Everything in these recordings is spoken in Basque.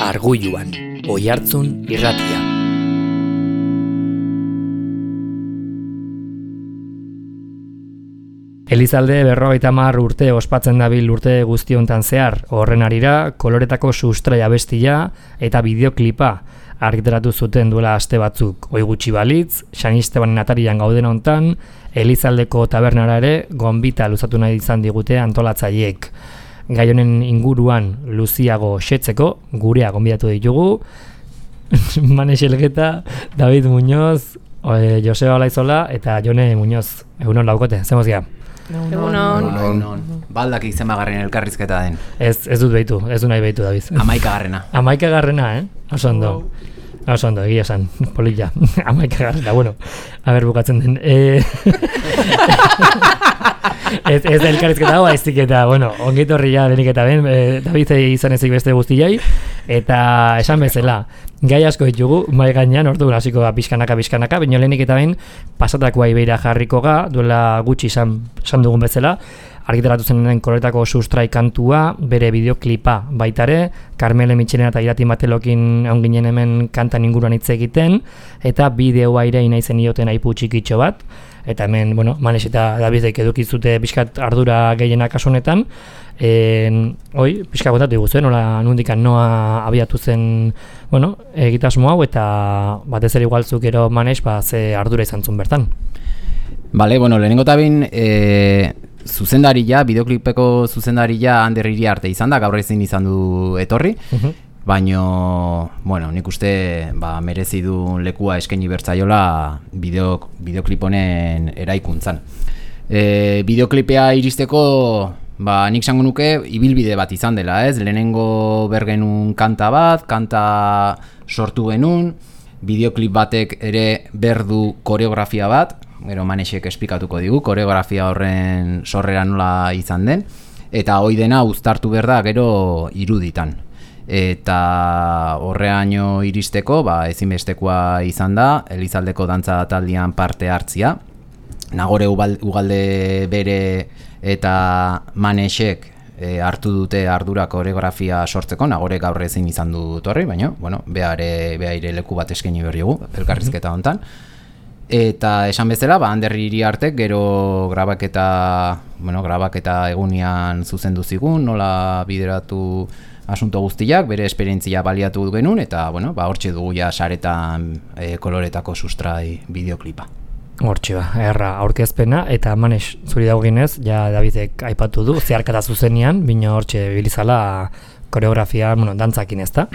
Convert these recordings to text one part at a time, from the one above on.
Argulluan, Oihartzun irratia. Elizalde 50 urte ospatzen dabil urte guztiontan zehar, horren harira koloretako sustrai abestia eta bideoklipa argitaratu zuten duela aste batzuk. Ohi gutxi balitz, San Estebanen atarian gauden hontan, Elizaldeko tabernara ere gonbita luzatu nahi izan digute antolatzaileek. Gai honen inguruan luziago xetzeko, gurea gonbidatu ditugu, Manex Elgeta, David Muñoz, Joseba Olaizola eta Jone Muñoz. Egunon laukote, zemozgia? Egunon. Baldak izemagarren elkarrizketa den. Ez dut behitu, ez du nahi behitu, David. 11garrena. 11garrena, Oso ondo. Oso ondo, egia esan, polilla. 11garrena, bueno, a ber bukatzen den. Ez da elkarrizketa hau, aizik eta, bueno, ongit horri ja denik eta ben, David izan ezik beste guztiai, eta esan bezala, gai asko ditugu, mai gainean, ordu hasiko da pixkanaka, baina lehenik eta ben, pasatakoa ibeira jarriko ga, duela gutxi izan dugun bezala, argitaratu zen koloretako sustrai kantua, bere bideoklipa baitare, Carmele Mitxelena eta Irati Matelokin egon ginen hemen kantan inguruan hitz egiten, eta bideoa ere inaizen ioten aipu txikitxo bat, eta hemen, bueno, Manex eta Davidek edukizute pixkat ardura gehienak kasunetan, pixka kontatu diguzuen, nundikan noa abiatu zen, bueno, egitasmo hau, eta batez ere igualtzuk ero Manex, ze ardura izan zuen bertan. Bale, bueno, lehenengo tabin, zuzendaria, bideoklipeko zuzendaria Ander Iriarte izan da, gaur ezin izan du etorri, baino, bueno, nik uste merezi du lekua eskaini bertzaiola bideoklip honen eraikuntzan. Bideoklipea iristeko, nik zango nuke ibilbide bat izan dela, ez? Lehenengo bergenun kanta sortu genuen, bideoklip batek ere berdu koreografia bat, gero Manexek esplikatuko digu, koreografia horren sorrera nola izan den, eta hoi dena uztartu behar da gero iruditan. Eta horreaino iristeko, ezinbestekoa izan da, Elizaldeko dantza taldean parte hartzia. Nagore Ugalde bere eta Manexek hartu dute ardura koreografia sortzeko, Nagore gaur ezin izan du torri, baina, bueno, behaire leku bat eskaini berri gu, elkarrizketa hontan. Eta esan bezala, Ander Iriartek gero grabaketa egunian zuzendu zigun, nola bideratu asunto guztiak, bere esperientzia baliatu genuen, eta hortxe dugu ja saretan koloretako sustrai bideoklipa. Hortxe erra aurkezpena, eta Manex zuri dagoenez, ja Davidek aipatu du, zeharkata zuzenian, bino hortxe bilizala koreografia, dantzakin ez da?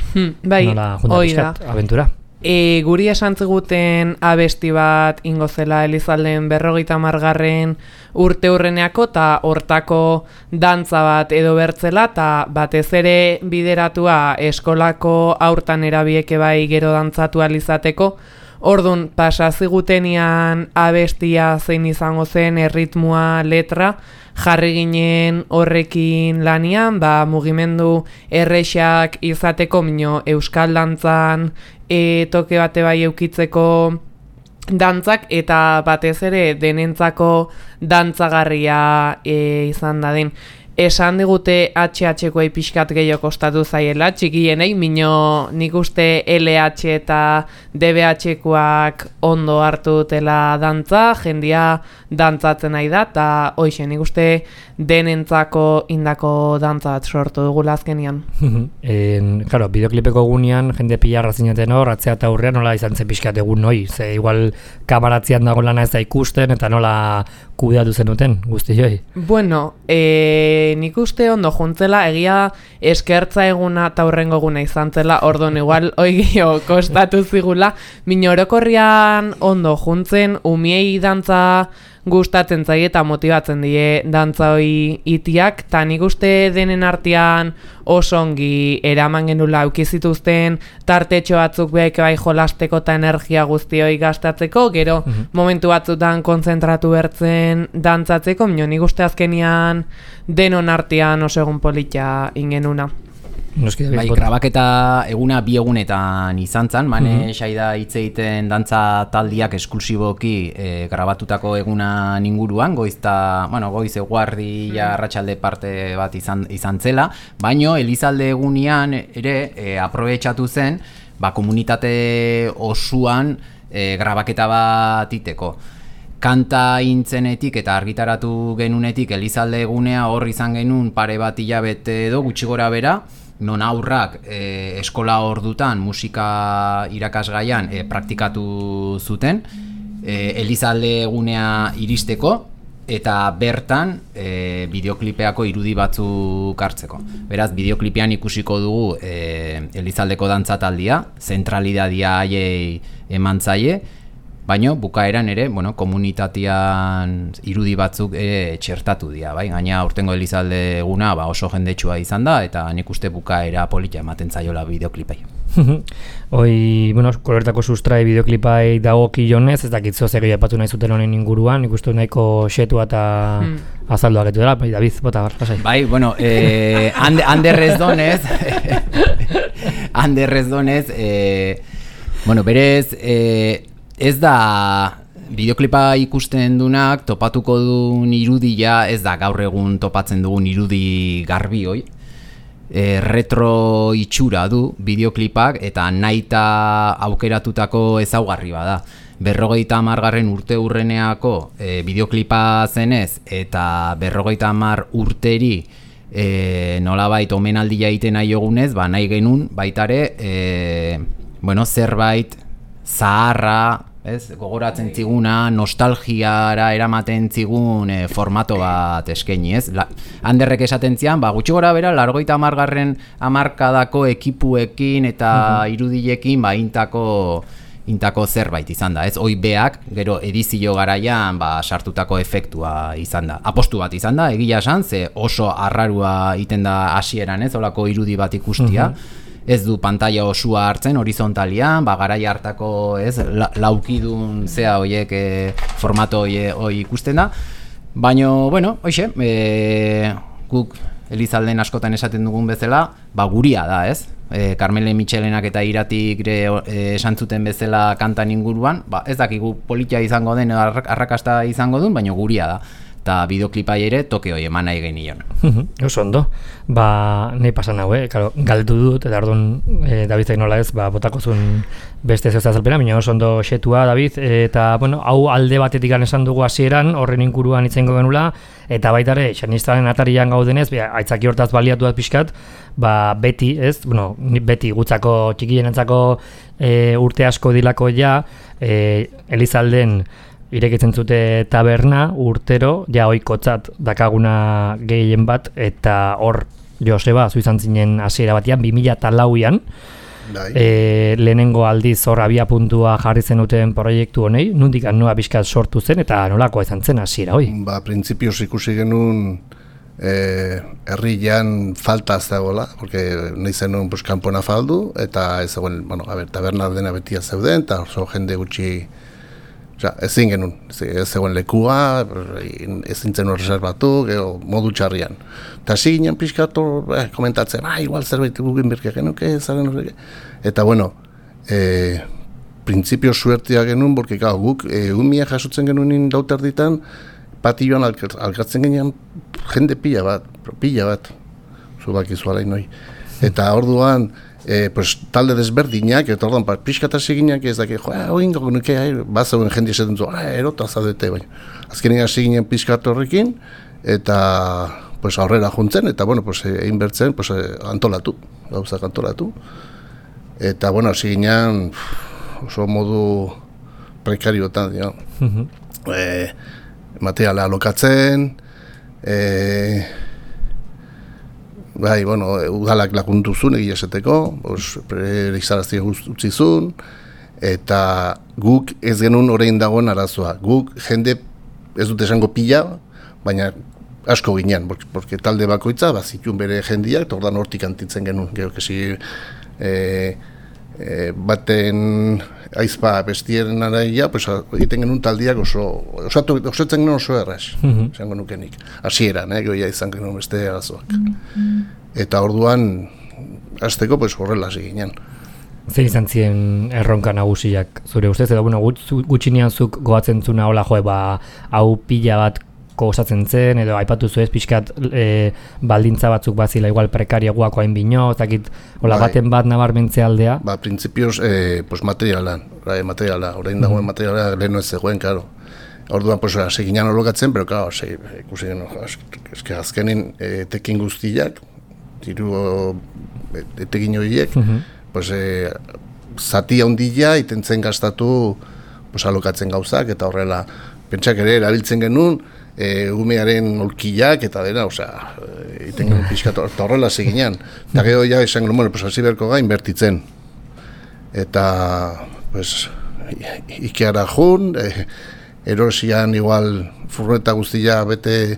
Bai, nola junta pixkat, abentura? Guri esan ziguten abesti bat ingozela Elizalden 50. urte hurreneako eta hortako dantza bat edo bertzela eta batez ere bideratua eskolako aurtan erabieke bai gero dantzatu alizateko. Ordun pasa zigutenian abestia zein izango zen erritmoa, letra, jarri ginen horrekin lanian, mugimendu errexak izateko mino euskal dantzan toke bate bai eukitzeko dantzak eta batez ere denentzako dantzagarria izan dadin. Esan digute HH-koei pixkat gehiago kostatu zaiela, txikienei, mino nik uste LH eta DBH-koak ondo hartu dutela dantza, jendia dantzatzen nahi da, eta hoxe, nik uste denentzako indako dantza bat sortu dugula azkenian. Claro, bideoklipeko egunean, jende pilarra zineten hor, atzea eta aurrean nola izan zen pixkat egun noi, ze igual kamaratzean dago lana ez da ikusten, eta nola kudeatu zenuten guzti joi? Bueno, nik uste ondo juntzela, egia eskertza eguna eta hurrengo eguna izan zela, ordon igual oigio kostatu zigula, min orokorrian ondo juntzen, umiei dantza gustatzen zaie eta motibatzen die dantza hoi itiak, eta nik uste denen artean oso ongi eraman genula aukizituzten tartetxo batzuk behek bai jolasteko eta energia guzti hoi gastatzeko, gero momentu batzutan kontzentratu bertzen dantzatzeko, nik uste azkenian denon artean oso egun polita ingenuna. Noski David. Bai, grabaketa eguna 2 egunetan izan zen, Mane Saida hitz egiten dantza taldiak esklusiboki grabatutako egunan inguruan, goiz eguardi arratsalde parte bat izan zela, baino Elizalde egunean ere aprobetxatu zen, komunitate osoan grabaketa bat iteko. Kanta intzenetik eta argitaratu genunetik Elizalde egunea hor izan genuen pare bat hilabete edo gutxi gora bera, non aurrak eskola ordutan musika irakasgaian praktikatu zuten, Elizalde egunea iristeko eta bertan bideoklipeako irudi batzuk hartzeko. Beraz, bideoklipean ikusiko dugu Elizaldeko dantzataldia, zentralidadia haiei eman zaie, baina bukaeran ere, komunitatean irudi batzuk txertatu dira, bai? Gaina aurtengo Elizalde eguna oso jendetsua izan da, eta nik uste bukaera polita ematen zaiola bideoklipai. Hoi, koloretako sustrai bideoklipai dagokionez, ez dakit zozek aipatu nahi zuten honen inguruan, nik uste nahiko xetua eta azalduak etu dela, David, bota, lasai. Bai, handerrez donez, berez, ez da bideoklipa ikusten dunak topatuko duen irudia, ez da gaur egun topatzen dugun irudi garbi hoi. Retro itxura du bideoklipak eta nahita aukeratutako ezaugarri bada. 50 urte urreneako bideoklipa zenez eta 50 urteri nolabait omenaldia egiten nahi egunez, nahi genuen baitare zerbait zaharra, gogoratzen ziguna, nostalgiara eramaten zigun formato bat eskaini, ez? Handerrek esaten zian, gutxi gora bera, 50 hamarkadako ekipuekin eta irudilekin intako zerbait izan da, ez? Hoi beak, gero edizio garaian sartutako efektua izan da. Apostu bat izan da, egia esan, ze oso arrarua iten da hasieran, ez? Olako irudi bat ikustia. Ez du pantalla osua hartzen horizontalian, garai hartako, ez, laukidun zea horiek formato hori ikusten da. Baina, hoxe, guk Elizalden askotan esaten dugun bezala, guria da, ez? Carmele Michelenak eta Iratik esan zuten bezala kantan inguruan, ez dakigu politia izango den, arrakasta izango duen, baina guria da. Eta bideoklipai ere toke hori eman nahi genion. Oso ondo. Nahi pasan hau, galdu dut, eta orduan Davidek nola ez, botako zuen beste zehuzta azalpena, baina oso ondo xetua, David, eta, hau alde batetik esan dugu hasieran, horren inguruan itzengo genula, eta baitare, xanistaren atarian gaudenez, aitzaki hortaz baliatu bat pixkat, beti, ez, beti gutzako txikienentzako urte asko dilako ja, Elizalden irekitzen zute taberna urtero, ohikotzat dakaguna gehien bat, eta hor Joseba, zu izan zinen hasiera batian, 2004an, lehenengo aldiz hor abia puntua jarri zenuten proiektu honei, nondik noa pixkat sortu zen, eta nolakoa izan zen hasiera hoi? Printzipioz ikusi genuen herrian falta ez dagoela, porque nahi zenuen kanpona faldu, eta ez zegoen, taberna dena betia zeuden, eta oso jende gutxi ezin genuen, ez zegoen lekua, ezin zen reservatu, modu txarrian. Eta hasi ginen pixkatu komentatzen, igual zerbait gugin berke genuke, zaren horreke. Eta printzipio suertia genuen, porque guk mia jasotzen genuen dauterditan, patioan alkartzen ginen jende pila bat, zubakizu alain noi. Eta orduan, talde desberdinak, eta orduan, pixkatasi gineak ez daki, oingo nuke, bazauen jende esaten zu, erota zaudete, baina. Azkenean hasi ginen pixkat horrekin, eta aurrera juntzen, eta egin bertzen, antolatu, gauzak antolatu. Eta, hasi ginen, oso modu prekariotan, materiala alokatzen, udalak laguntu zuen egia esateko, preiztaraztia utzi zuen, eta guk ez genuen orain dagoen arazoa. Guk jende ez dut esango pila, baina asko ginean, porque talde bakoitza zituen bere jendiak, eta ordan hortik antitzen genuen. Gero, baten aizpa bestieren araia, egiten genuen taldiak osatzen genuen oso erraz, esango nukenik. Hasieran, goia izan genuen beste arazoak. Eta orduan, azteko, pues horrela ziginen. Zer izan ziren erronka nagusiak zure ustez, edo bueno, gutxinean zuk goatzen zuna hola hau pila bat osatzen zen, edo aipatu zuez pixkat baldintza batzuk bazila igual prekarioagoako hain bino, zakit hola baten bat nabarmentze aldea? Printzipioz, pues materiala, orain dagoen materiala leheno ez zegoen, claro. Orduan, pues, seginan holokatzen, pero, claro, ikusi geno, eske azkenin etekin guztiak, diru etekin horiek, pues, zati handila itentzen gastatu pues, alokatzen gauzak, eta horrela, pentsak ere erabiltzen genuen, umearen olkillak eta dena, osea, iten genuen pixkat, eta horrela seginan. Eta gero ja esan genuen, bueno, pues, hasi berko ga inbertitzen. Eta, pues, Ikeara jun, erosian igual furgoneta guztia bete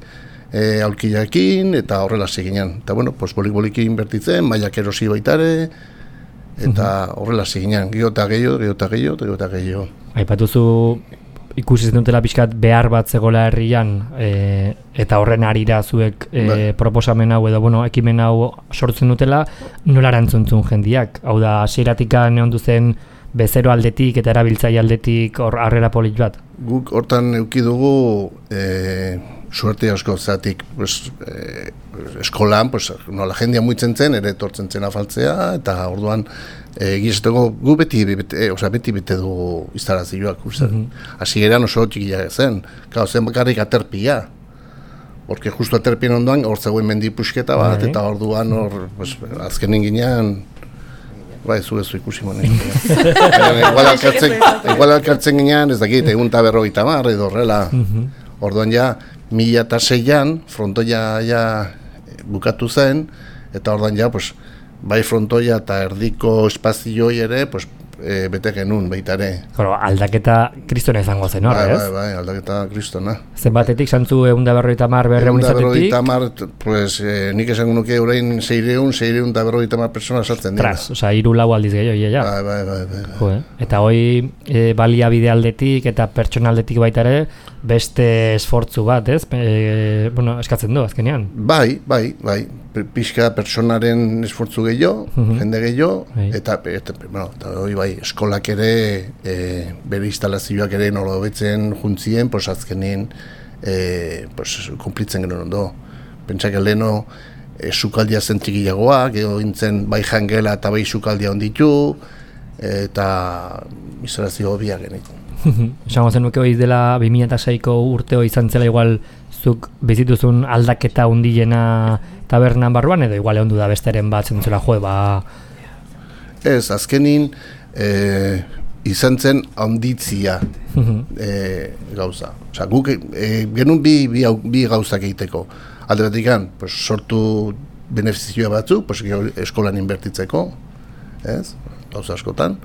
aulkillakin, eta horrela seginan. Eta, bueno, pues, bolik-boliki inbertitzen, mailak erosi baitare, eta horrela seginan, gero eta gehiago. Aipatuzu ikusi zenutela pixkat behar bat zegoela herrian, eta horren arira zuek proposamen hau edo ekimen hau sortzen dutela, nola erantzuntzun jendiak? Hau da, hasieratik neondu zen bezero aldetik eta erabiltzaile aldetik harrera polit bat? Guk hortan eduki dugu suerte asko, zatik eskolan, nola jendia muitzen zen, ere etortzen zen afaltzea, eta orduan egizteko gu beti bete dugu instarazioak. Hasieran oso txikia zen, zen bakarrik aterpia, porque justu aterpien ondoan hor zegoen mendipusketa bat, eta orduan hor azkenin ginean, bai, zu ikusi monek. Igual alkartzen ginean, ez dakit, egun eta 50 edo horrela. Orduan ja, 2006an frontoia ja bukatu zen, eta orduan ja, bai frontoia eta erdiko espazioi ere, bete genuen baitare. Aldaketa kristona izango zen, hor, ez? Bai, aldaketa kristona. Zenbatetik, santzu 150 berreun izatetik? 150, nik esango nuke orain 650 persona sartzen dira. Tras, oza, 3-4 aldiz gehiago, ja. Bai. Eta hoi baliabide aldetik eta pertsona aldetik baita ere, beste esfortzu bat, ez? Eskatzen du, azkenean. Bai. Pixka personaren esfortzu gehiago, jende gehiago, eta hori bai, eskolak ere, bere instalazioak ere nola hobetzen juntzien, azkenean kumplitzen genuen ondo. Pentsak leheno, sukaldia zen txikiagoak, edo gintzen bai jangela eta bai sukaldia onditu, eta instalazio hobiak genuen. Esango zenuke hori dela 2006ko urteo izan zela igual zuk bizituzun aldaketa hundilena tabernan barruan, edo igual ondu da besteren bat zentzula Ez, azkenin izan zen handitzia gauza. Osa, guk genuen bi gauzak egiteko. Alde batikan, sortu benefizioa batzuk, eskolan inbertitzeko, ez? Gauza askotan.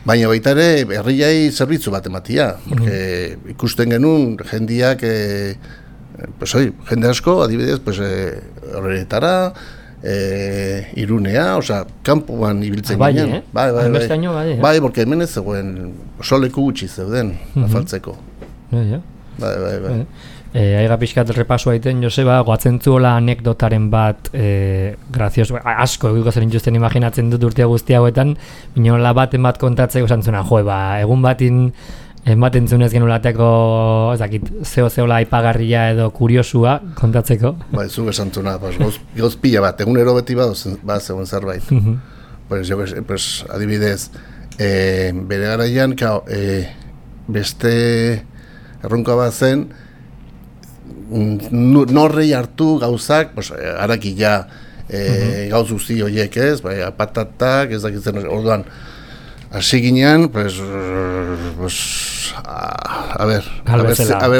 Baina baita ere, herriai zerbitzu bat ematia. Porque ikusten genuen jendiak, jende asko, adibidez, horretara, Irunea, osea, kanpoan ibiltzen ginen. Bai, porque hemen ez zegoen, oso leku gutxi zeuden, afaltzeko. Bai. Aiga pixkat repaso aiten, Joseba, goatzen zuela anekdotaren bat grazioso, asko egiko zer intuzten imaginatzen dut urtea guzti hauetan, binola baten bat kontatzeko esan zuna, egun batin ematen zunez genulateko, zeo-zeola aipagarria edo kuriosua kontatzeko. Bai, zu esan zuna, gauz pila bat, egunero beti bat zegoen zerbait. Adibidez, bere garaian, beste erronka bat zen, norrei hartu gauzak, harakila gauz guzti horiek ez, patatak, ez dakitzen, orduan, hasi ginean, a ber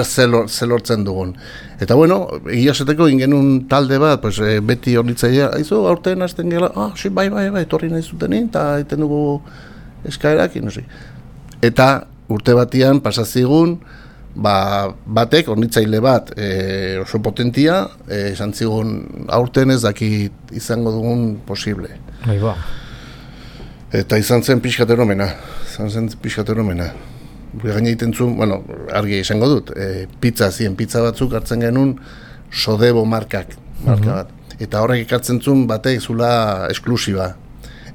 ze lortzen dugun. Eta bueno, egia esateko ingenun talde bat, beti hornitzaia, aizu, aurten hasten gela, bai, torri nahi zutenin, eta egiten dugu eskaerak, eta urte batian pasazigun, batek, hornitzaile bat oso potentia, esan zigun aurten ez dakit izango dugun posible. Eta izan zen pixkateromena. Gaina egiten zuen, argi izango dut, pizza batzuk hartzen genuen Sodebo marka bat. Eta horrek ekartzen zuen batek zula esklusiba.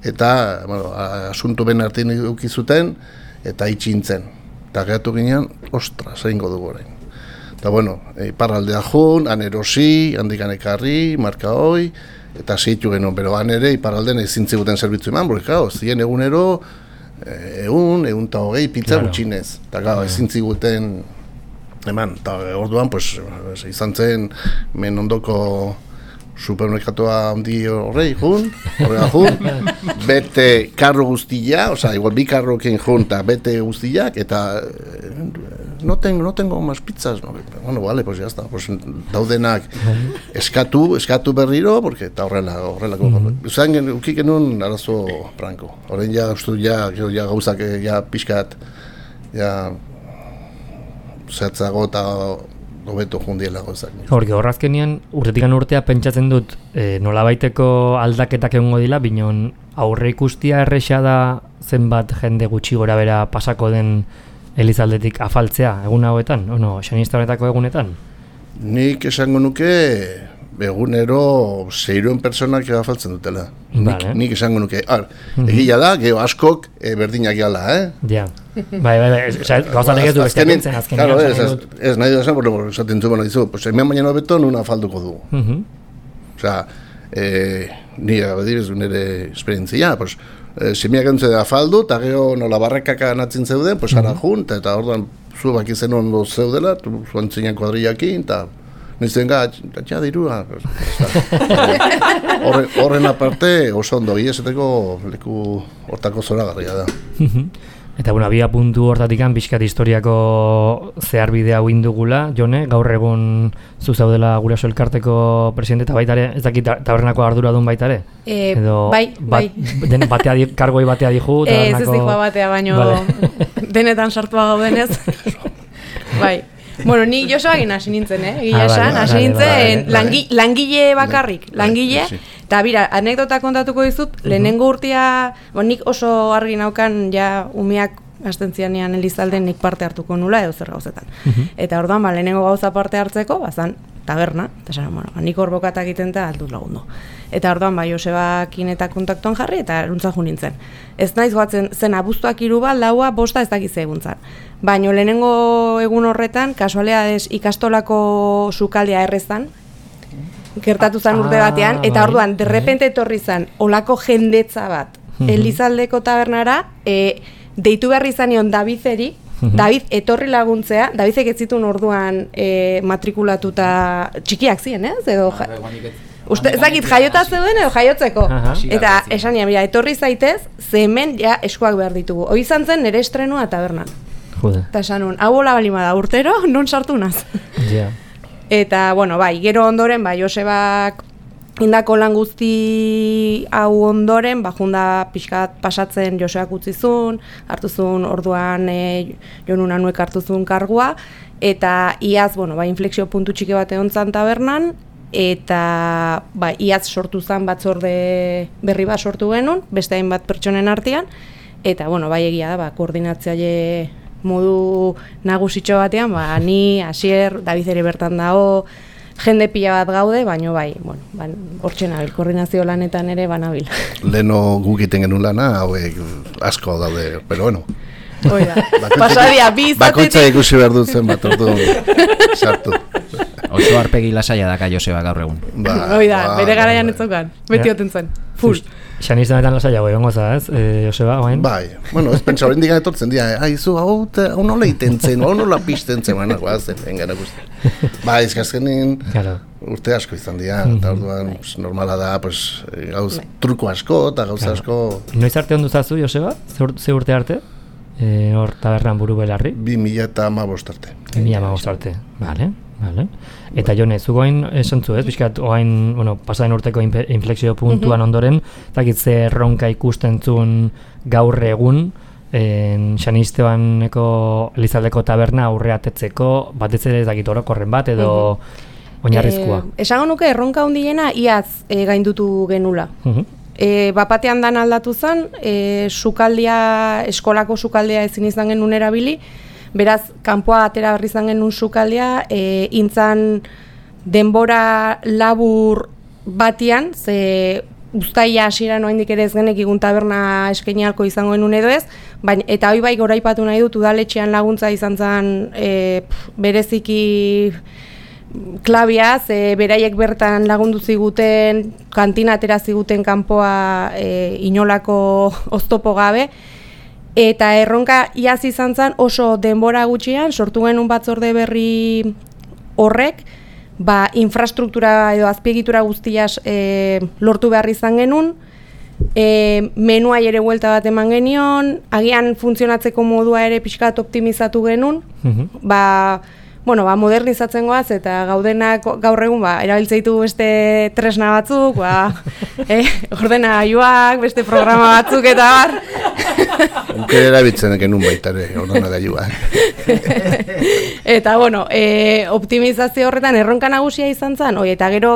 eta, bueno, asuntu ben artean ukizuten, eta itxintzen. Eta geratu ginean, ostras, egingo dugu orain. Eta, bueno, iparraldea jun, han erosi, handikan ekarri, marka hoi, eta segitu genuen, pero han ere iparraldean ezin ziguten zerbitzu eman, porque, claro, ziren egunero, egun eta hogei pizza gutxinez. Eta, claro, ezin ziguten eman, eta orduan, pues, izan zen, men ondoko supermerkatoa handi horrega jun, bete karro guztia, oza, igual bi karrokin jun, eta bete guztiak, eta no tengo más pizzas, no, bueno, vale, pues ya está, pues daudenak eskatu berriro, porque eta horrelako, usan ukik genuen arazo franko, horrein ja, gauzak, ja pixkat, ja, zehatzago eta hobeto jundiela gauzak. Horki, horrazkenean, urtetikan urtea pentsatzen dut nolabaiteko aldaketak egongo dila, binon aurre ikustia erresa da zenbat jende gutxi gora bera pasako den Elizaldetik afaltzea egun hauetan, ono, xanista honetako egunetan? Nik esango nuke egunero 600 personak afaltzen dutela. Nik esango nuke. Egia da, geho askok berdinak gala, Ja. Bai, gauzatek ez du beste pentzen azkenean. Ez nahi da esan, porque esaten zu, pues hemen baina beto nuna afalduko dugu. Osea, ni adibidez nire esperientzia, pues semiak entze da afaldu, eta geho nola barrekak anatzen zeuden, pues ara jun, eta orduan zu baki zen ondo zeudela, zu antzinean kuadriakin, eta nizten gatxa dirua. Horren aparte oso ondo, ezeteko leku hortako zoragarria da. Eta bueno, abia puntu hortatikan pixkat historiako zeharbidea hau indugula, Jone, gaur egun zu zaudela Guraso elkarteko presidente eta baitare, ez dakit tabernako arduradun baitare? Bai. Kargoi batea dihu, tabernako... Ez dihua batea, baino denetan sartua gaudenez. Bai. Bueno, ni Josearekin hasi nintzen, egia esan, hasi nintzen langile bakarrik, langile, eta bira, anekdota kontatuko dizut, lehenengo urtea, nik oso argi naukan ja umeak hasten zianean Elizalden nik parte hartuko nula edo zer gauzetan. Eta orduan, lehenengo gauza parte hartzeko, bazan taberna, eta esan, nik hor bokatak egiten eta aldut lagundu. Eta orduan, Josebakin eta kontaktuan jarri, eta eruntza jo nintzen. Ez naiz goatzen zen abuztuak 3 bat, 4 bosta ez dakize eguntzan. Baina lehenengo egun horretan, kasualidades ikastolako sukaldea errezan, gertatu zen urte batean, eta orduan, derrepente etorri zen, olako jendetza bat, Elizaldeko tabernara, deitu behar izanion Davideri, David etorri laguntzea, Davidek ez zituen orduan matrikulatuta txikiak ziren, ez? Edo ez dakit jaiota zeuden edo jaiotzeko. Eta esan mira, etorri zaitez, ze hemen ja eskuak behar ditugu. Hoi izan zen nire estrenua tabernan. Eta esan nun, hau hola balima da urtero, non sartu naz. Eta, bueno, bai, gero ondoren, Josebak indako lan guzti hau ondoren, junda pixkat pasatzen Joseak utzizun, hartuzun orduan Jon Unanuek hartuzun kargua, eta iaz, bueno, inflexio puntu txiki bat egon zan tabernan, eta iaz sortu zen batzorde berri bat sortu genuen, beste hainbat pertsonen artean, eta, bueno, egia da, koordinatzaile modu nagusitxo batean, ni, Asier, David ere bertan dago, jende pila bat gaude, baino hortxe nabil, koordinazio lanetan ere banabil. Leno guk iten genuen lana, hauek asko daude, pero bueno. Oida, pasadia, bakoitza ikusi behar dutzen bat, ordu sartu. Oso arpegi lasaia daka Joseba gaur egun. Oida, bere garaian ez zokan, beti oten zen, full. Xanista betan lasaia goi, ongo za, ez, Joseba, oain? Bai, bueno, ez pentsa hori indikan etortzen dira, haizu, hau nola iten zen, hau nola pizten zen, baina guazen, engana guzti. Bai, ezkazkenin urte asko izan dira, eta orduan normala da, gauz truko asko eta gauza asko. Noiz arte ondu zazu, Joseba? Ze urte arte? Hor tabernan buru belarri? 2015 arte. 2015 arte, bale. Eta Jone, zu goain esan zu, ez? Bizkat, oain, pasaden urteko inflexio puntuan ondoren, dakit ze erronka ikusten zuen gaur egun, Xanistebaneko Elizaldeko taberna aurreatetzeko, batez ere ez dakit orokorren bat, edo oinarrizkoa. Esango nuke erronka handiena iaz gaindutu genula. Bapatean dan aldatu zen, eskolako sukaldea ezin izan genuen erabili, beraz, kanpoa atera berri izan genuen sukaldea, intzan denbora labur batian, ze uztaila hasieran oraindik ere ez genekigun taberna eskaini ahalko izango genuen edo ez, baina eta hori bai goraipatu nahi dut udaletxean laguntza izan zen bereziki klabiaz, beraiek bertan lagundu ziguten, kantina atera ziguten kanpoa inolako oztopo gabe, eta erronka iaz izan zen oso denbora gutxian, sortu genuen batzorde berri horrek, infrastruktura edo azpiegitura guztiaz lortu behar izan genuen, menuai ere buelta bat eman genion, agian funtzionatzeko modua ere pixkat optimizatu genuen, modernizatzen goaz, eta gaudenak gaur egun erabiltzeitu beste tresna batzuk, ordenagailuak, beste programa batzuk eta bar. Ukera erabiltzen genuen baita ere, ordenagailuak. Eta, optimizazio horretan erronka nagusia izan zen, eta gero,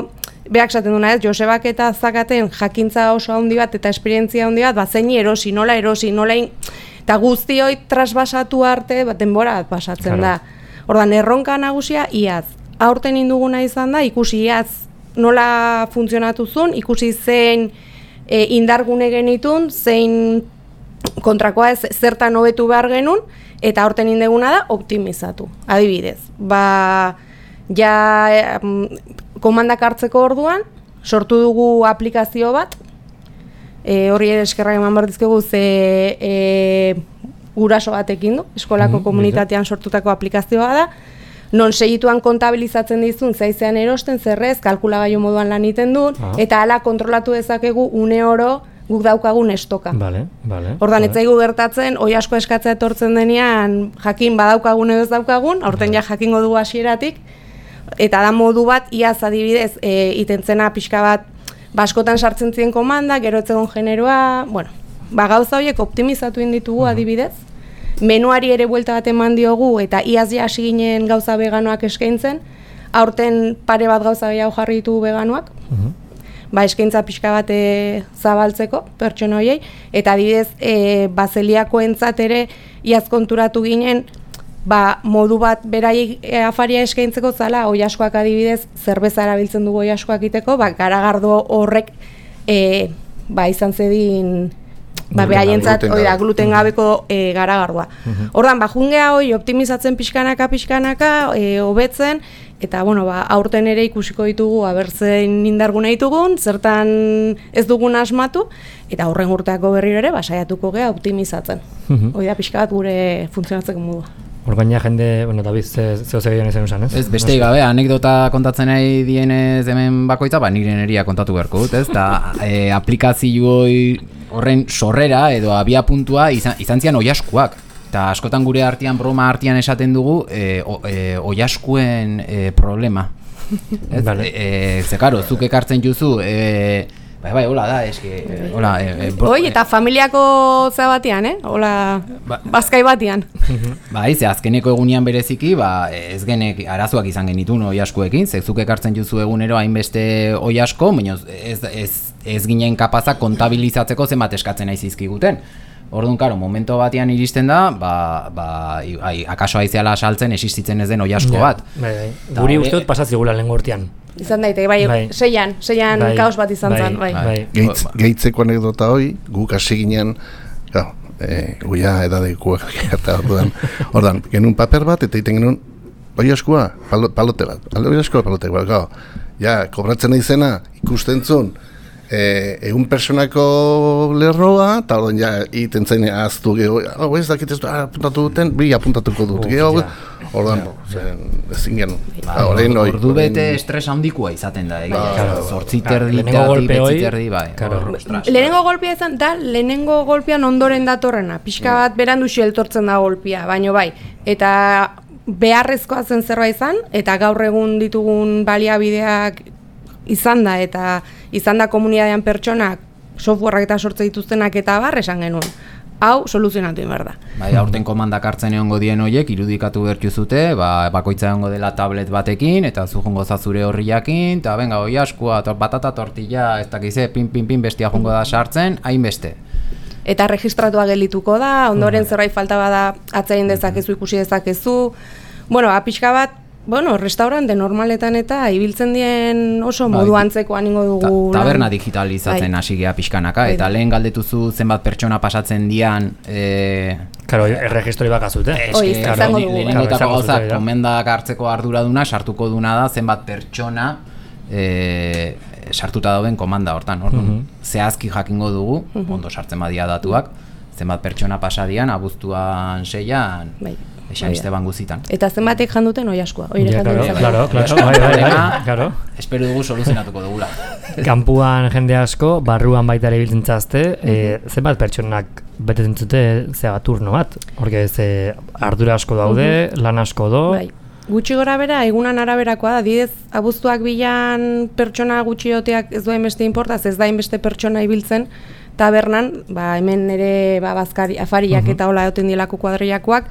behak esaten duna ez, Josebak eta Zakaten jakintza oso handi bat eta esperientzia handi bat, zein erosi, nola, eta guzti hoi trasbasatu arte, denbora bat pasatzen da. Ordan erronka nagusia iaz. Aurten induguna izan da, ikusi iaz nola funtzionatu zuen, ikusi zein indargune genitun, zein kontrakoa ez zertan hobetu behar genuen, eta aurten induguna da optimizatu. Adibidez, komandak hartzeko orduan, sortu dugu aplikazio bat, horri eskerrak eman behar dizkegu guraso batekin du, eskolako komunitatean sortutako aplikazioa da, non segituan kontabilizatzen dizun, zaizean erosten, zerrez, kalkulagailu moduan lan egiten duen, eta hala kontrolatu dezakegu une oro guk daukagun estoka. Ordan ez zaigu gertatzen, oi asko eskatzea etortzen denean, jakin badaukagun edo ez daukagun, aurten ja jakingo dugu hasieratik, eta da modu bat, iaz adibidez, itentzena pixka bat, askotan sartzen ziren komanda, gero etzegon generoa, gauza horiek optimizatu inditugu adibidez, menuari ere buelta bat eman diogu eta iaz ja hasi ginen gauza veganoak eskaintzen, aurten pare bat gauza gehiago jarri ditugu veganoak, eskaintza pixka bat zabaltzeko pertsona horiei, eta adibidez bazeliakoentzat ere iaz konturatu ginen, modu bat beraiek afaria eskaintzeko zala, oilaskoak adibidez zerbeza erabiltzen dugu oilaskoak iteko, garagardo horrek izan zedin behaientzat gluten gabeko garagardua. Ordan, jungea hori optimizatzen pixkanaka, hobetzen, eta aurten ere ikusiko ditugu abertzen indarguna ditugun, zertan ez dugun asmatu, eta horren urteako berriro ere saiatuko gea optimizatzen. Hori da pixka bat gure funtzionatzeko modua. Orgaina jende, David, zeo zegeian izan usan, ez? Ez, beste gabe, anekdota kontatzen nahi dienez hemen bakoitza, nire neria kontatu beharko dut, ez? Eta aplikazioi horren sorrera edo abia puntua izan zian oiaskuak. Eta askotan gure artean, broma artean esaten dugu, oiaskuen problema. Ze, karo, zuk ekartzen juzu, hola da, eske, hola... eta familiako za batean, hola, bazkai batean. Ze azkeneko egunean bereziki, ez genek arazoak izan genitun oiaskuekin, zuk ekartzen juzu egunero hainbeste oiasko, baina ez ginen kapazak kontabilizatzeko zenbat eskatzen nahi zizkiguten. Orduan, karo, momento batean iristen da, akaso aizeala saltzen existitzen ez den oiasko bat. Guri usteot pasatzigula lehen gortean. Izan daiteke, seian kaos bat izan zen, Gehitzeko anekdota hoi, guk hasi ginen, guia edadekuak eta ordan, genuen paper bat, eta iten genuen, oiaskua, palote bat, oiaskua palote bat, kobratzen izena, ikusten zuen, egun personako lerroa, eta orduan ja iten zain aztu geho, ez dakit ez apuntatu duten, bi apuntatuko dut geho, orduan, ezin genuen. Ordu bete estres handikoa izaten da, zortziterdi, betziterdi, lehenengo golpea izan, da lehenengo golpean ondoren datorrena, pixka bat berandu xeltortzen da golpea, baino eta beharrezkoa zen zerbait izan, eta gaur egun ditugun baliabideak izan da, eta izan da komunitatean pertsonak softwareak eta sortze dituztenak eta esan genuen. Hau soluzionatu behar da. Aurten komandak hartzen egongo dien horiek irudikatu bertu zute, bakoitza egongo dela tablet batekin, eta zu jongo zazure horriakin, eta benga, oiaskua, batata tortilla, ez dakize, pin, bestia jongo da sartzen, hainbeste. Eta registratua gelituko da, ondoren zerbait falta bada atzain dezakezu, ikusi dezakezu. Pixka bat, bueno, restaurante normaletan eta ibiltzen dien oso modu antzekoan ingo dugu. Taberna digitalizatzen hasi gea pixkanaka, eta lehen galdetuzu zenbat pertsona pasatzen dian... Karo, erregistroi bakazute. Lehenengotako gauzak, komendak hartzeko arduraduna, sartuko duna da zenbat pertsona sartuta dauden komanda hortan. Zehazki jakingo dugu, ondo sartzen badia datuak, zenbat pertsona pasadian, abuztuan 6an, San Esteban guzitan. Eta zenbatek janduten oi askoa. Claro. Espero dugu soluzionatuko dugula. Kanpuan jende asko, barruan baita ere biltzen zazte, zenbat pertsonak betetzen zute zea turno bat. Horke ardura asko daude, lan asko do. Gutxi gora bera, egunan araberakoa da, didez abuztuak bilan pertsona gutxioteak ez duen beste inportaz, ez da inbeste pertsona ibiltzen, tabernan, hemen ere afariak eta hola egoten dielako kuadriakoak,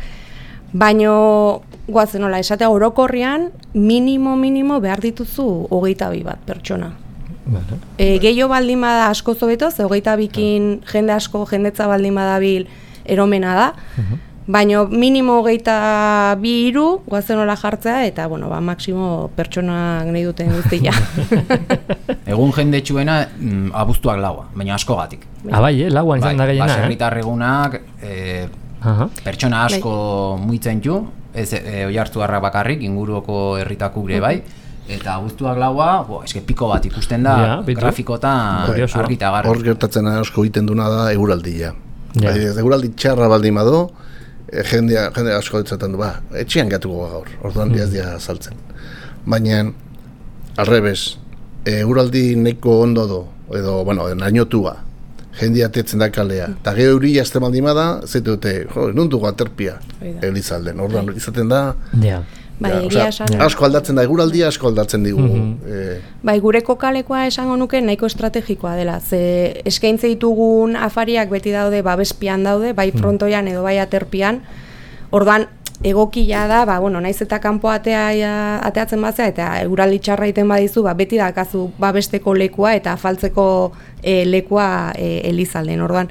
baino guazen hola, esatea orokorrian minimo behar dituzu 22 bat pertsona. Gehiago baldin bada asko zobeto, ze 22kin jende asko, jendetza baldin badabil eromena da, baino minimo 22 guazen hola jartzea, eta maksimo pertsonak nahi duten guztia. Egun jendetsuena abuztuak laua, baina askogatik. Bai, lauan izan da gehiena. Baserritar egunak pertsona asko muitzen ju, ez Oiartzuarrak bakarrik, inguruko herritako gure bai, eta abuztuak laua, eske piko bat ikusten da, grafikotan argita garra. Hor gertatzen asko egiten duna da eguraldia. Eguraldi txarra baldin badu, jende asko ditzaten du, etxean gatuko gaur, orduan diaz dia saltzen. Baina, alrebes, eguraldi neko ondo do, edo, nainotua, jende atetzen da kalea, eta geho euria azte baldin bada, zaitu dute, nuntuko aterpia Elizalden, orduan izaten da, asko aldatzen da, eguraldia asko aldatzen digu. Gure kokalekoa esango nuke nahiko estrategikoa dela, ze eskaintze ditugun afariak beti daude, babespian daude, bai frontoian edo bai aterpian, orduan egokia da, naiz eta kanpo ateatzen bazea, eta eguraldi txarra iten badizu, beti dakazu babesteko lekua eta afaltzeko lekua Elizalden, orduan.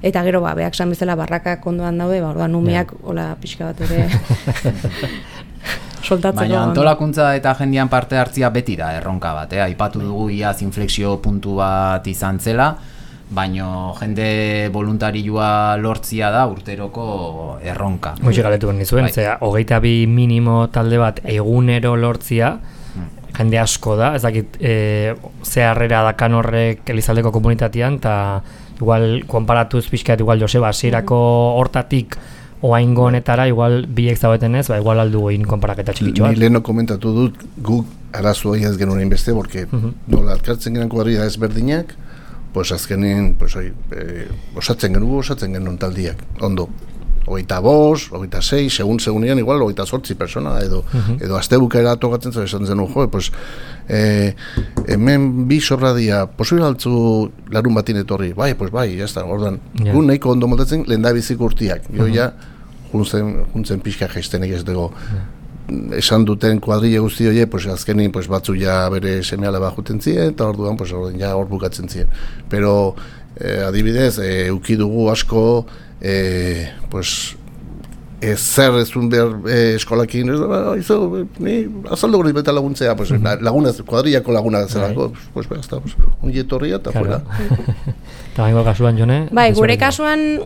Eta gero, behak san bezala barrakak ondoan daude, orduan umeak, hola pixka bat ere soltatzeko. Baina antolakuntza eta jendean parte hartzia beti da erronka bat, aipatu dugu iaz inflexio puntu bat izan zela, baino jende voluntarioa lortzia da urteroko erronka. Hoxe galetu nizuen, 22 minimo talde bat egunero lortzia, jende asko da, ez dakit ze harrera dakan horrek Elizaldeko komunitatean, eta igual, konparatuz pixkat, igual Joseba, hasierako hortatik oaingo honetara, igual biek zaudeten ez, igual aldu egin konparaketa txikitxo bat. Ni leheno komentatu dut, guk arazoa ez genuen inbeste, porque nola alkartzen genuen kuadrilla ezberdinak, pues azkenin, osatzen genuen taldiak, ondo. 25, 26, segun igual, 28 persona, edo astebukera tokatzen zuen esan zenuen, pues, hemen bi sorradia, posible altzu larun batin etorri, bai, jazta, ordan, gu nahiko ondo moldatzen lehen da bizik urtiak, jo ja, juntzen pixka jaiztenek ez dugu, esan duten kuadrille guzti hori, pues azkenin pues batzu ja bere semeale bajuten ziren, eta orduan pues ja hor bukatzen ziren. Pero adibidez, uki dugu asko, pues zer ezun behar eskolakin, ni azaldo gori beta laguntzea, pues lagunaz, kuadrillako laguna zelako, pues basta, ongi etorria eta fuera. Eta baingo kasuan, Jone? Bai, gure kasuan,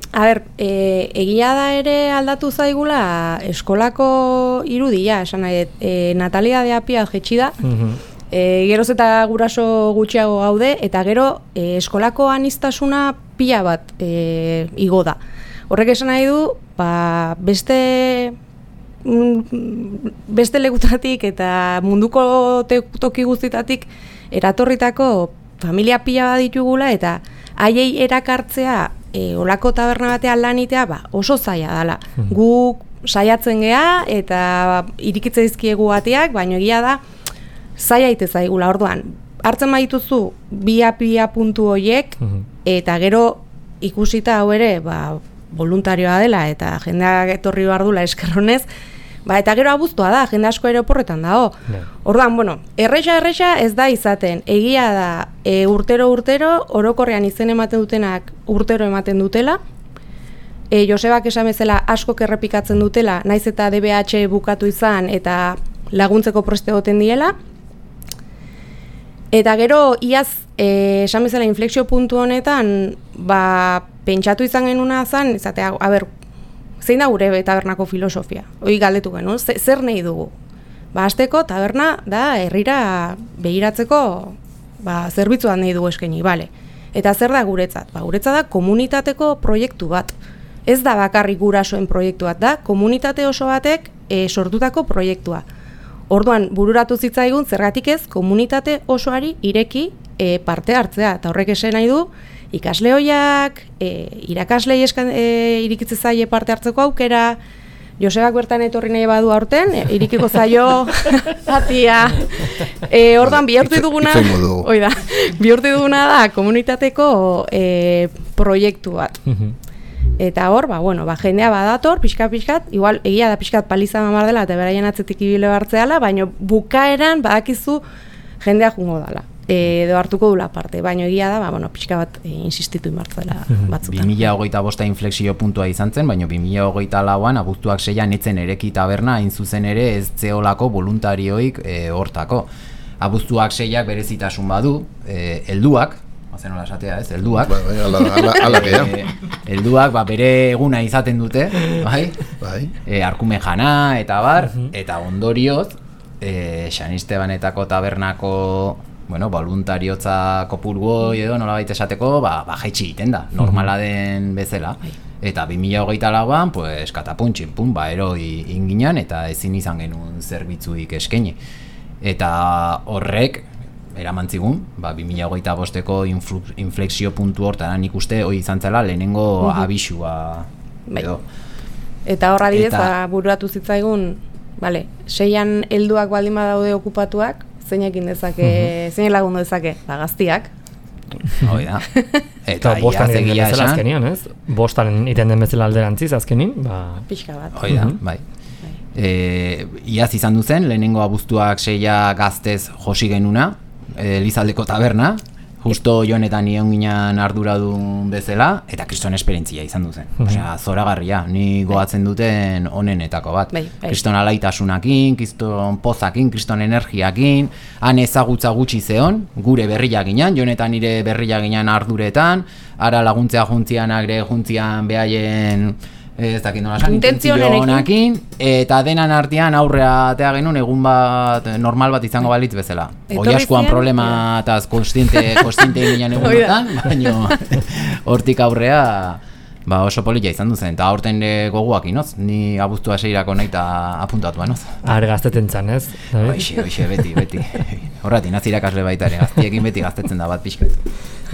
egia da ere aldatu zaigula eskolako irudia, esan nahi, natalidadea jetxi da, geroz eta guraso gutxiago gaude, eta gero eskolako aniztasuna pila bat igo da. Horrek esan nahi du, beste lekutatik eta munduko toki guztitatik eratorritako familia pila bat ditugula, eta haiei erakartzea olako taberna batean lanitea oso zaila dela. Guk saiatzen gea eta irikitze dizkiegu bateak, baina egia da zaila ite zaigula. Orduan, hartzen badituzu bi-pia puntu horiek, eta gero ikusita hau ere voluntarioa dela eta jendeak etorri behar dula eskerronez, eta gero abuztua da, jende asko ere oporretan dago. Orduan, erresa ez da izaten, egia da urtero orokorrean izen ematen dutenak urtero ematen dutela, Josebak esan bezala askok errepikatzen dutela, naiz eta DBH bukatu izan eta laguntzeko preste egoten diela. Eta gero, iaz, esan bezala inflexio puntu honetan, pentsatu izan genuna zen, izatea, zein da gure tabernako filosofia? Hoi galdetu genuen, zer nahi dugu? Hasteko taberna da herrira begiratzeko zerbitzuan nahi dugu eskaini, bale. Eta zer da guretzat? Guretzat da komunitateko proiektu bat. Ez da bakarrik gurasoen proiektu bat, da komunitate oso batek sortutako proiektua. Orduan, bururatu zitzaigun, zergatik ez, komunitate osoari ireki parte hartzea. Eta horrek esan nahi du, ikasle hoiak, irakaslei irikitze zaie parte hartzeko aukera, Josebak bertan etorri nahi badu aurten, irikiko zaio, atia. Orduan, bihurtu duguna da, komunitateko proiektu bat. Eta hor, jendea badator, pixkat, igual egia da pixkat paliza mamar dela, eta beraien atzetik ibile bartzeala, baina bukaeran badakizu jendea jungo dela. Edo hartuko dula parte, baina egia da, pixka bat insistitu inbartzela batzutan. 2025 inflexio puntua izan zen, baina 2024an abuztuak 6an etzen ereki taberna, hain zuzen ere ez zeolako voluntarioik hortako. Abuztuak 6ak berezitasun badu, helduak, hazen hola esatea ez, helduak. Helduak bere eguna izaten dute, arkume jana eta bar, eta ondorioz, San Estebanetako tabernako voluntariotza kopurgoi edo nolabait esateko, jaitsi egiten da, normala den bezala. Eta 2024an, pues, katapuntxin, eroi inginan eta ezin izan genuen zerbitzuik eskaini. Eta horrek, eramantzigun, 2025ko inflexio puntu hortan nik uste hori izan zela lehenengo abisua edo. Eta horra didez, bururatu zitzaigun, 6an helduak baldin badaude okupatuak, zeinekin dezake, zein lagundu dezake, gaztiak. Hoi da. Eta bostan iten den bezala azkenian, ez? Bostan iten den bezala alderantziz azkenin, pixka bat. Hoi da, bai. Iaz izan duzen, lehenengo abuztuak 6 gaztez josi genuna, Elizaldeko taberna, justo joanetan nion ginen arduradun bezala, eta kriston esperientzia izan duzen. Osea, zoragarria, ni goatzen duten onenetako bat. Kriston alaitasunakin, kriston pozakin, kriston energiakin, han ezagutza gutxi zeon, gure berriak ginen, joanetan nire berriak ginen arduretan, ara laguntzea juntzianak ere juntzian behaien ez dakit nola esan, intentzionakin, eta denan artean aurrea atea genuen egun bat, normal bat izango balitz bezala. Oiaskuan problema eta konstiente ginen egunotan, baina hortik aurrea oso polilla izan duzen, eta aurten goguak inoz, ni abuztua 6irako nahi eta apuntatu banoz. Gaztetzen zan, ez? Hoxe, beti. Horrati, nazirakasle baita ere, gaztiekin beti gaztetzen da bat pixka.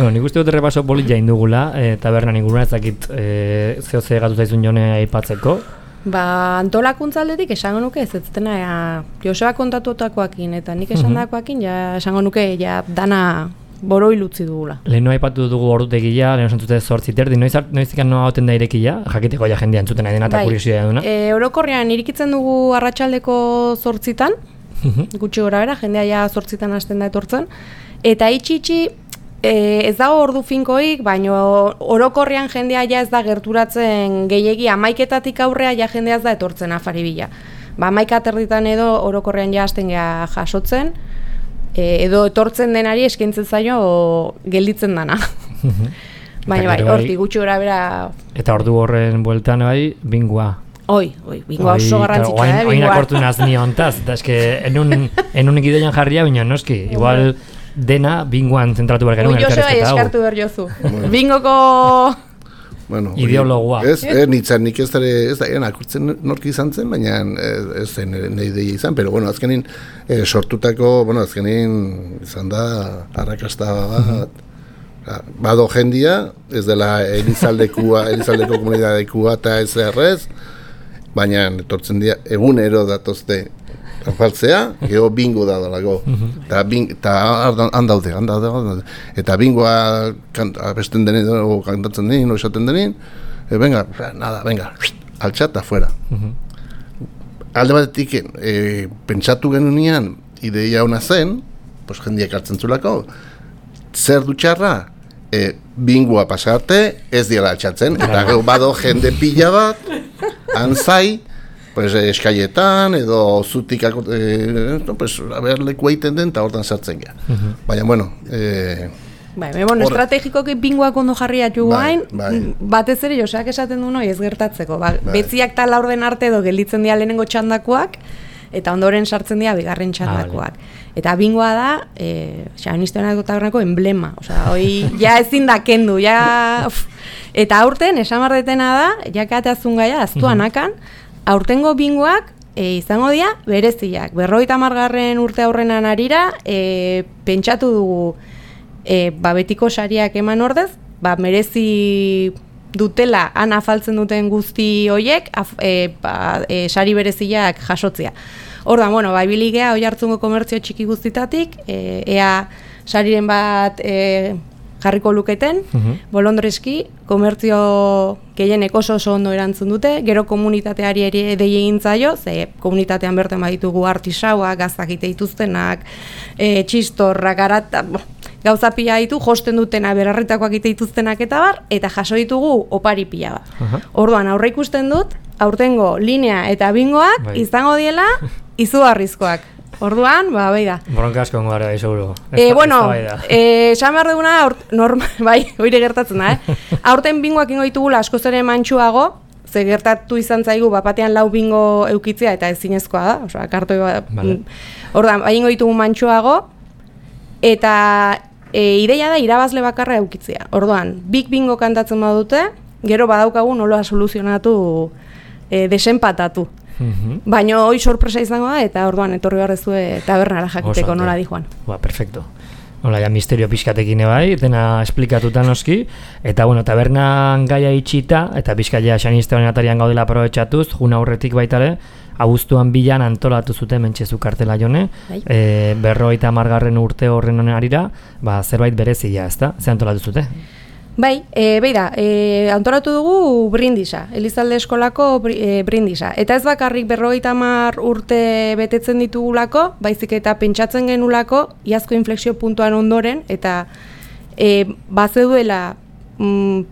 Nik uste dut errepaso polilla indugula, tabernan inguruna ezakit zehose gatu zaizun jone aipatzeko. Antolakuntza aldetik esango nuke ez dena Joseba kontatuetakoakin eta nik esandakoakin esango nuke dana boroi utzi dugula. Leheno aipatu dugu ordutegia, leheno zantzute 8:30, noizik noa hoten da irekia, jakiteko jendea entzuten nahi dena eta kuriosia duna. Orokorrean irikitzen dugu arratsaldeko 8:00, gutxi gora bera, jendea 8:00 hasten da etortzen, eta itxi ez dago ordu finkoik, baina orokorrean jendea ez da gerturatzen gehiegi 11:00 aurrea jendea ez da etortzen afari bila. 11:30 edo orokorrean hasten gea jasotzen, edo etortzen denari eskaintzen zaio gelditzen dana. Baina hortik gutxi gora bera. Eta ordu horren bueltan bingua. Bingua oso garrantzitsua, bingua. Oin akortu nazni hontaz, eta eske enun gidoian jarria, baina noski, igual dena binguan zentratu behar genuen elkarrezketa hau. Joseba eskartu behar jozu. Bingoko ideologoa. Nitzan nik ez da akurtzen norki izan zen, baina ez zen nahi ideia izan, pero azkenin sortutako, azkenin izan da arrakasta bat, bado jendia, ez dela Elizaldeko komunidadekua eta ez errez, baina etortzen dira egunero datozte afaltzea, geho bingo da dalago. Eta handaude. Eta bingoa abesten denin, o kantatzen denin, o esaten denin, venga, altxat afuera. Alde batetik, pentsatu genunean, ideia hona zen, jendiak hartzen zulako, zer dutxarra, bingoa pasarte, ez diela altxatzen, eta gero bado jende pila bat, anzai, pues, eskaietan, edo zutik leku egiten den, eta hortan sartzen gara. Baina, bueno... bueno, estrategikoki bingoak ondo jarriat jugu hain, batez ere Joseak esaten du noi ez gertatzeko. Betziak eta laurden arte edo gelditzen dira lehenengo txandakoak, eta ondoren sartzen dira bigarren txandakoak. Eta bingoa da, Xabanisteanako tabernako emblema. Hoi, ja ezin da kendu, ja... Eta aurten, esamardetena da, jakateazun gaia, aztuan akan, aurtengo bingoak izango dira bereziak. 50. urte aurrenan arira, pentsatu dugu betiko sariak eman ordez, merezi dutela, han afaltzen duten guzti hoiek, sari bereziak jasotzea. Ordan, ibiligea hoi hartzungo komertzio txiki guztitatik, ea sariren bat jarriko luketen, bolondreski, komertzio gehienek oso ondo erantzun dute, gero komunitateari ere dei egin zaio, ze komunitatean bertan baditugu artisauak, gaztak ite dituztenak, txistorrak, gauza pila ditu, josten dutena berarritakoak ite dituztenak eta bar, eta jaso ditugu opari pila bat. Orduan, aurre ikusten dut, aurtengo linea eta bingoak izango diela izugarrizkoak. Orduan, bai da. Bronka asko gara, seguro. Esan behar duguna, hori gertatzen da, Aurten bingoak ingo ditugula askoz ere mantxuago, ze gertatu izan zaigu, batean 4 bingo eukitzea, eta ezinezkoa da, kartoi bat. Orduan, ingo ditugu mantxuago, eta ideia da irabazle bakarra eukitzea. Orduan, big bingo kantatzen badute, gero badaukagu nola soluzionatu, desenpatatu. Baina hoi sorpresa izango da, eta orduan etorri behar tabernara jakiteko nola di joan. Perfecto. Hola, ja misterio pixkatekin bai, dena esplikatuta noski, eta tabernan gaia itxita, eta pixkaia Xanistean atarian gaudela aprobetxatuz, juna aurretik baitare, abuztuan bilan antolatu zuten mentxezu kartela jone, 50. urte horren arira, zerbait berezia, ezta? Ze antolatu zute? Bai, antolatu dugu brindisa, Elizalde eskolako brindisa. Eta ez bakarrik 50 urte betetzen ditugulako, baizik eta pentsatzen genulako, iazko inflexio puntuan ondoren, eta bazeduela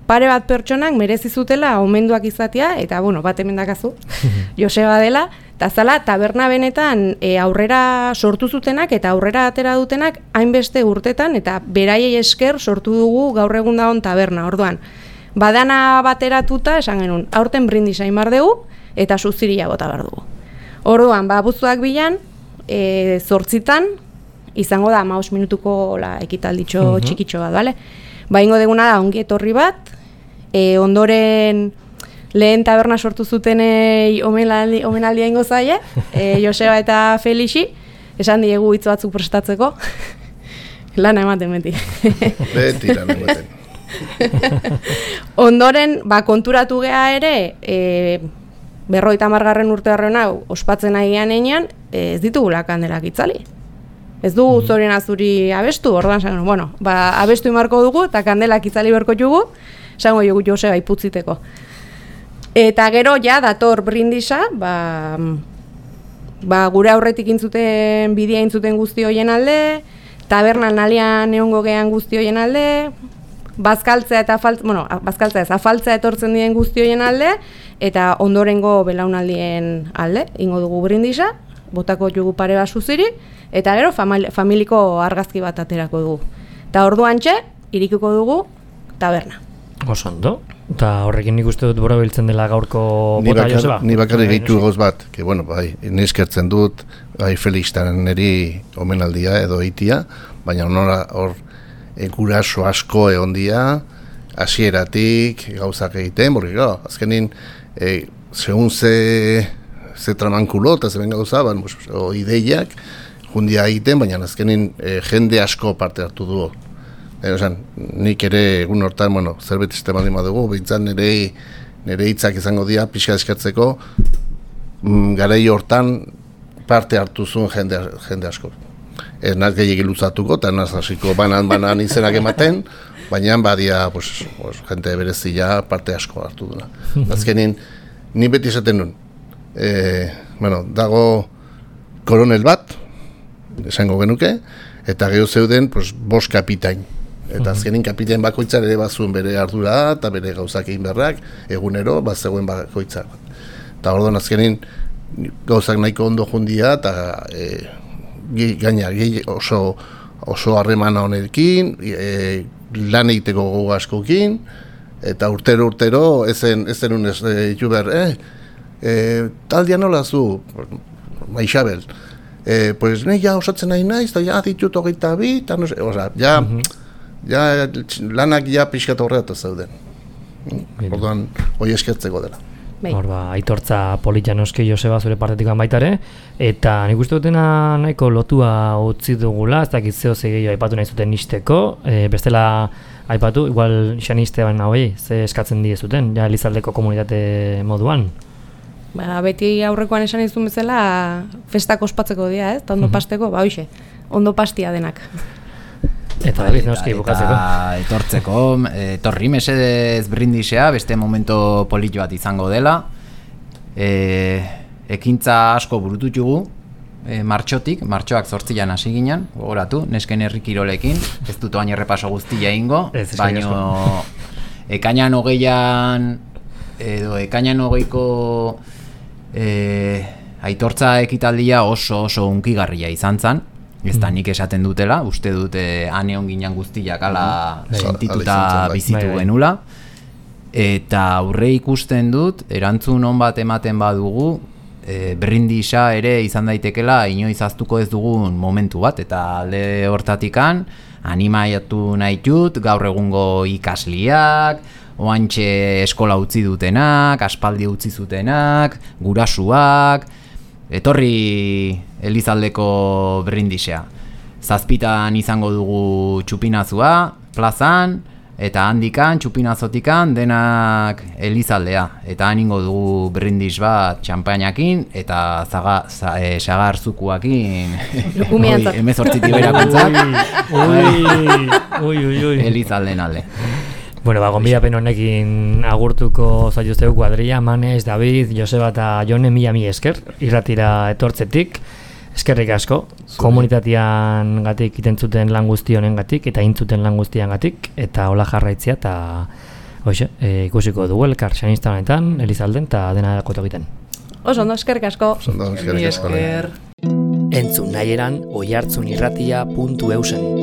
pare bat pertsonak merezi zutela omenduak izatea, eta bat hemen dakazu, Joseba dela, eta zala, taberna benetan aurrera sortu zutenak eta aurrera atera dutenak hainbeste urtetan, eta beraiei esker sortu dugu gaur egun dagoen taberna. Orduan, badana bateratuta, esan genuen, aurten brindisa imar dugu, eta suziria bota behar dugu. Orduan, abuztuak bilan, 8 izango da 15 minutuko ekitalditxo txikitxo bat, bale? Ingo deguna da ongi etorri bat, ondoren lehen taberna sortu zutenei omenaldia ingo zaie, Joseba eta Felixi, esan diegu hitz batzuk prestatzeko, lana ematen beti. Beti lana ematen. Ondoren, konturatu geha ere, 50. urte harren hau, ospatzen agian einean, ez ditugula kandelak itzali. Ez dugu zorien azuri abestu, orduan zango, abestu imarko dugu, eta kandelak itzali berko jugu, zango jugu Joseba iputziteko. Eta gero, dator brindisa, gure aurretik intzuten, bidea intzuten guzti hoien alde, tabernan alian egongo gehan guzti hoien alde, bazkaltzea eta afaltzea etortzen diren guzti hoien alde, eta ondorengo belaunaldien alde, ingo dugu brindisa, botako jugu pare bat suziri, eta gero familiko argazki bat aterako dugu. Eta orduan irikuko dugu taberna. Osondo, eta horrekin nik uste dut borobiltzen dela gaurko bota, Joseba? Ni bakarrik gehitu goz bat, neskertzen dut, Felixtan niri omenaldia edo eitia, baina hor guraso asko egon dia, hasieratik gauzak egiten, azkenin, segun ze tramankulo eta zeben gauza, ideiak, jundia egiten, baina azkenin jende asko parte hartu dugu. Nik ere egun hortan, zerbait baldin badugu, behintzat nire hitzak izango dira, pixka eskatzeko, garai hortan parte hartu zuen jende asko. Ez naz gehiagin luzatuko, eta naz hasiko banan izenak ematen, baina badia jende berezia parte asko hartu duena. Azkenin, ni beti esaten nuen, dago koronel bat, esango genuke, eta geho zeuden 5 kapitain. Eta azkenin kapitain bakoitzar ere bazuen bere ardura eta bere gauzak egin berrak, egunero zegoen bakoitzar. Eta orduan azkenin gauzak nahiko ondo jundia, eta gaina oso harremana honekin, lan egiteko gogo askokin, eta urtero ezen unez juber, taldia nola zu, Isabel, pues ne ja osatzen nahi naiz, eta ja ditut 22, eta no sé, oza, ja lanak ja pixkat horretu zeuden. Orduan, hoi eskertzeko dela. Hor aitortza polita noski Joseba zure partetik baitare, eta nik uste dutena nahiko lotua utzi dugula, ez dakit zeo gehiago aipatu nahi zuten nisteko, bestela aipatu, igual xaniste baina hoi, ze eskatzen diezuten, ja Elizaldeko komunitate moduan. Beti aurrekoan esan izun bezala, festak ospatzeko dira, eta ondo pasteko, hoxe, ondo pastia denak. Eta David noski bukatzeko. Eta etortzeko, etorri mesedez brindisea, beste momento polito bat izango dela. Ekintza asko burututugu, martxoak 8an hasi ginen, gogoratu, nesken herri kirolekin, ez dut oain errepaso guztia ingo, baino ekainan 20an, edo ekainan 20ko aitortza ekitaldia oso unkigarria izan zen. Ez da nik esaten dutela, uste dute aneon ginen guztiak ala sentituta bizitu genula. Eta aurre ikusten dut, erantzun on bat ematen badugu, brindisa ere izan daitekela inoiz ahaztuko ez dugun momentu bat. Eta alde hortatikan, animaiatu nahi dut, gaur egungo ikasliak, oantxe eskola utzi dutenak, aspaldi utzi zutenak, gurasuak, etorri Elizaldeko brindisea. 7 izango dugu txupinazua, plazan, eta handikan, txupinazotikan, denak Elizaldea. Eta haningo dugu brindis bat txampainakin, eta sagar zukuakin, emezortzitik berakuntzak, Elizalden alde. Bueno, gonbidapen honekin agurtuko zaituztegu kuadrilla, Manes, David, Joseba eta Jone, mila esker, irratira etortzetik, eskerrik asko, komunitatean gatik itentzuten lan guzti honen gatik, eta intzuten lan guztian gatik, eta hola jarraitzia, eta ikusiko dugu elkar, xanista honetan, Elizalden, eta dena koto egiten. Oso ondo, eskerrik asko. Esker. Entzun nahi eran, oihartzunirratia.eusen.